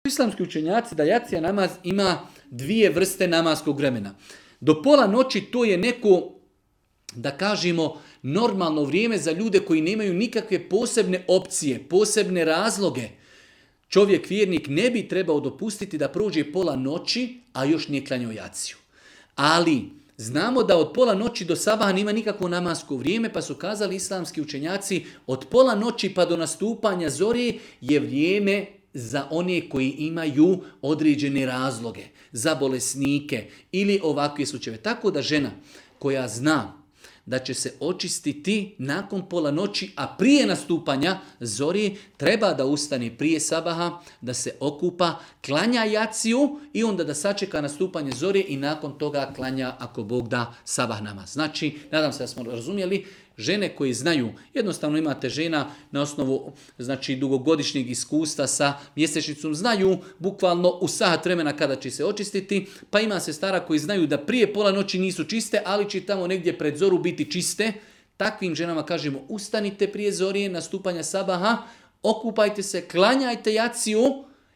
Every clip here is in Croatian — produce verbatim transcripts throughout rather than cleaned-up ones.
Islamski učenjaci da jacija namaz ima dvije vrste namaskog vremena. Do pola noći to je neko, da kažemo, normalno vrijeme za ljude koji nemaju nikakve posebne opcije, posebne razloge. Čovjek vjernik ne bi trebao dopustiti da prođe pola noći, a još nije klanjao jaciju. Ali znamo da od pola noći do sabaha nema nikakvo namasko vrijeme, pa su kazali islamski učenjaci od pola noći pa do nastupanja zore je vrijeme za one koji imaju određene razloge, za bolesnike ili ovakve slučajeve. Tako da žena koja zna da će se očistiti nakon pola noći, a prije nastupanja zori, treba da ustane prije sabaha, da se okupa, klanja jaciju i onda da sačeka nastupanje zori i nakon toga klanja, ako Bog da, sabah namaz. Znači, nadam se da smo razumjeli, žene koji znaju, jednostavno imate žena na osnovu znači, dugogodišnjeg iskustva sa mjesečnicom, znaju bukvalno u sat vremena kada će se očistiti, pa ima sestara koji znaju da prije pola noći nisu čiste, ali će tamo negdje pred zoru biti čiste. Takvim ženama kažemo ustanite prije zorije, nastupanja sabaha, okupajte se, klanjajte jaciju,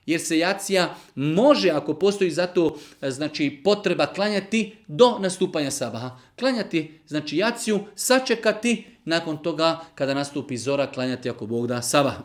jer se jacija može, ako postoji za to znači, potreba klanjati do nastupanja sabaha. Klanjati znači jaciju, sačekati, nakon toga kada nastupi zora, klanjati ako Bog da sabah.